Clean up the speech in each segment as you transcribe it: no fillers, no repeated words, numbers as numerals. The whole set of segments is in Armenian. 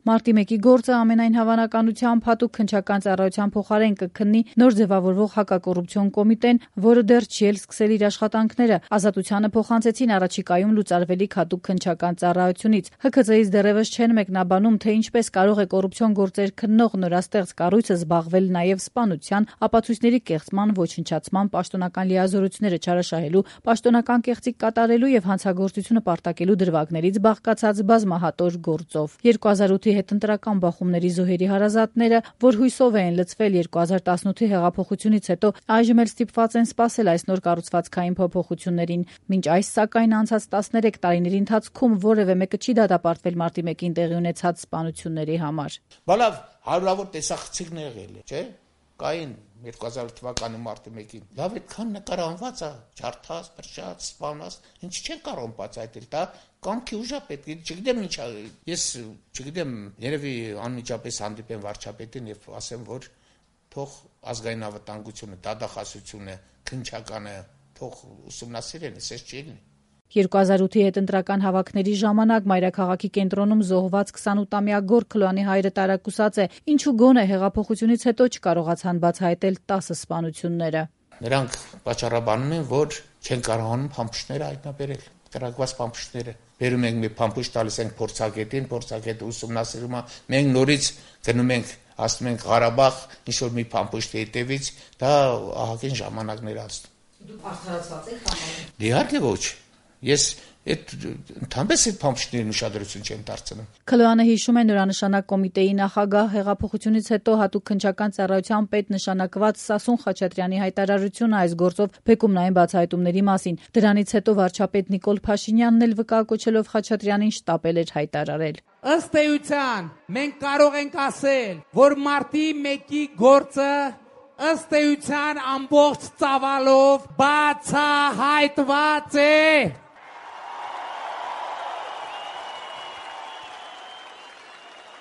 Մարտի 1-ի գործը ամենայն հավանականությամբ հատուկ քննչական ծառայության փոխարեն կքննի նոր ձևավորվող հակակոռուպցիոն կոմիտեն, որը դեռ չի էլ սկսել իր աշխատանքները։ Ազատությանը փոխանցեցին առաջիկայում լուծարվելիք հատուկ քննչական ծառայությունից։ ՀՔԾ-ից դեռևս չեն մեկնաբանում, թե ինչպես կարող է կոռուպցիոն գործեր քննող նորաստեղծ կառույցը զբաղվել նաև սպանության, ապացույցների կեղծման, ոչնչացման, պաշտոնական լիազորությունները չարաշահելու, պաշտոնական կեղծիք կատարելու եւ հանցագործությունը պարտակելու դրվագներից բաղկացած բազմահատոր գործով։ 2008-ի հետընտրական բախումների զոհերի հարազատները, որ հույսով էին լցվել 2018-ի հեղափոխությունից հետո, այժմ էլ ստիպված են սպասել այս նոր կառուցվածքային փոփոխություններին։ Մինչ այս, սակայն, անցած 13 տարիների ընթացքում որևէ մեկը չի դատապարտվել Մարտի 1-ին տեղի ունեցած սպանությունների համար։ Բալավ հարյուրավոր տեսախցիկներ եղել է, չէ՞։ Կային 2000 թվականի մարտի 1-ին։ Լավ այդքան նկարահանված է, ջարդած, փրկած, սպանած, ինչ չեն կարող բացահայտել, դա կամքի ուժ է պետք, չգիտեմ ինչ է։ Ես չգիտեմ, երևի անմիջապես հանդիպեմ վարչապետին եւ ասեմ, որ թող ազգային անվտանգությունը, դատախազությունը, քննչականը թող ուսումնասիրեն, ասես չի լինի։ 2008-ի հետընտրական հավաքների ժամանակ մայրաքաղաքի կենտրոնում զոհված 28-ամյա Գոր Քլոյանի հայրը տարակուսած է, ինչու գոնե հեղափոխությունից հետո չկարողացան բացահայտել 10 սպանությունները։ Նրանք պատճառաբանում են, որ չեն կարողանում փամփուշտները հայտնաբերել, կրակված փամփուշտները։ Բերում ենք մի փամփուշտ, տալիս ենք փորձագետին, փորձագետը ուսումնասիրում է, մենք նորից գնում ենք, ասում ենք Ղարաբաղ, ինչ որ մի փամփուշտի հետևից, դա ահագին ժամանակներ անցնում։ Դուք արդարացված եք համարում։ Իհարկե ոչ։ Ես ընդհանրապես այդ փամփուշտներին ուշադրություն չեմ դարձնում։ Քլոյանը հիշում է նորանշանակ կոմիտեի նախագահ, հեղափոխությունից հետո հատուկ քննչական ծառայության պետ նշանակված Սասուն Խաչատրյանի հայտարարությունը այս գործով բեկումնային բացահայտումների մասին։ Դրանից հետո վարչապետ Նիկոլ Փաշինյանն էլ վկայակոչելով Խաչատրյանին շտապել էր հայտարարել։ Ըստ էության, մենք կարող ենք ասել, որ մարտի 1-ի գործը ըստ էության ամբողջ ծավալով բացահայտված է։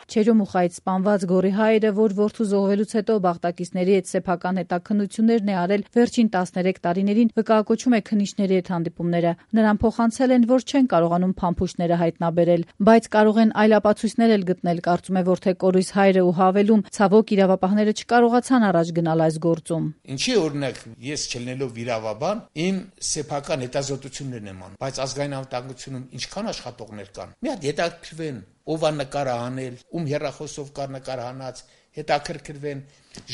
Չերոմուխայից սպանված Գորի հայրը, որ որդու զոհվելուց հետո բաղտակիցների հետ սեփական հետաքննություններն է արել վերջին 13 տարիներին, վկայակոչում է քննիչների հետ հանդիպումները։ Նրան փոխանցել են, որ չեն կարողանում փամփուշտները հայտնաբերել, բայց կարող են այլ ապացույցներ էլ գտնել, կարծում է Որդե Կորույս հայրը ու հավելում, ցավոք իրավապահները չկարողացան առաջ գնալ այս գործում։ Ինչի օրինակ ես չլինելով իրավաբան, իմ սեփական հետազոտություններն եմ անում, բայց ազգային անվտանգությունում ինչքան աշխատողներ կան։ Մի հատ հետաքրքրվեն ով է նկարահանել, ում հեռախոսով կար նկարահանած, հետաքրքրվեն,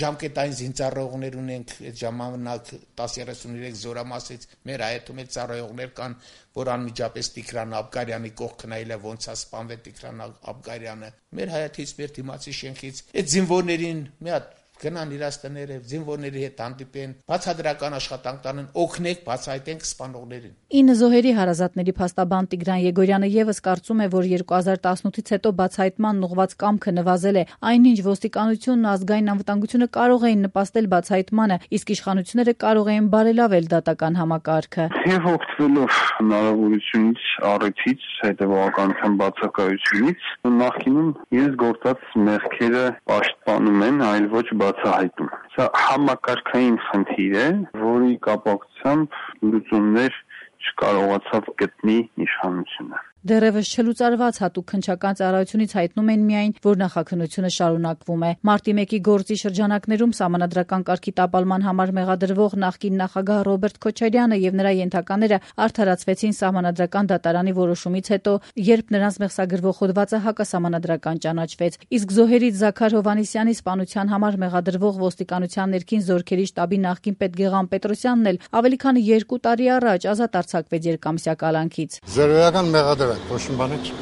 ժամկետային զինծառայողներ ունենք, այդ ժամանակ 1033 զորամասից մեր հայտում այդ ծառայողներ կան, որ անմիջապես Տիգրան Աբգարյանի կողքն այլ է ոնց է սպանվել Տիգրան Աբգարյանը, մեր հայաթից, մեր դիմացի շենքից, այդ զինվորներին մի հատ գնան իրաց տները, զինվորների հետ հանդիպեն, բացադրական աշխատանք տանեն, օգնեք, բացահայտենք սպանողներին։ 9 զոհերի հարազատների փաստաբան Տիգրան Եգորյանը եւս կարծում է, որ 2018-ից հետո բացահայտման ուղղված կամքը նվազել է, այնինչ ոստիկանությունն ու ազգային անվտանգությունը կարող էին նպաստել բացահայտմանը, իսկ իշխանությունները կարող էին բարելավել դատական համակարգը։ Եվ օգտվելով հնարավորությունից, առիթից, հետևողականության բացակայությունից, նախկինում իրենց գործած մեղքերը պաշտպանում են, այլ ոչ բացահայտում։ Սա համակարգային խնդիր է, որի կապակցությամբ լուծումներ չկարողացավ գտնի իշխանությունը։ Դեռևս չլուծարված հատուկ քննչական ծառայությունից հայտնում են միայն, որ նախաքննությունը շարունակվում է։ Մարտի 1-ի գործի շրջանակներում սահմանադրական կարգի տապալման համար մեղադրվող նախկին նախագահ Ռոբերտ Քոչարյանը եւ նրա ենթակաները արդարացվեցին սահմանադրական դատարանի որոշումից հետո, երբ նրանց մեղսագրվող հոդվածը հակասահմանադրական ճանաչվեց։ Իսկ զոհերից Զաքար Հովհաննիսյանի սպանության համար մեղադրվող ոստիկանության ներքին զորքերի շտաբի նախկին պետ Գեղամ Պետրոսյանն էլ ավելի քան 2 տարի առաջ ազատ արձակվեց երկամսյա կալանքից։ Զրոյական մեղադրանք ոչ մի բան չի։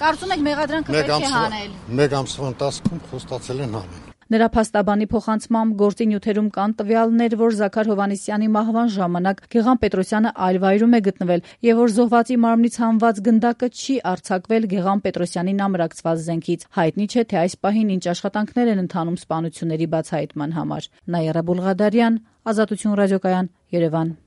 Կարծում եք մեղադրանքը պետք է հանել։ Մեկ ամսվա ընթացքում խոստացել են հանել։ Նրա փաստաբանի փոխանցմամբ գործի նյութերում կան տվյալներ, որ Զաքար Հովհաննիսյանի մահվան ժամանակ Գեղամ Պետրոսյանը այլ վայրում է գտնվել եւ որ զոհվածի մարմնից հանված գնդակը չի արձակվել Գեղամ Պետրոսյանին ամրացված զենքից։ Հայտնի չէ, թե այս պահին ինչ աշխատանքներ են ընթանում սպանությունների բացահայտման համար։ Նայիրա Բուլղադարյան, Ազատություն ռադիոկայան, Երևան։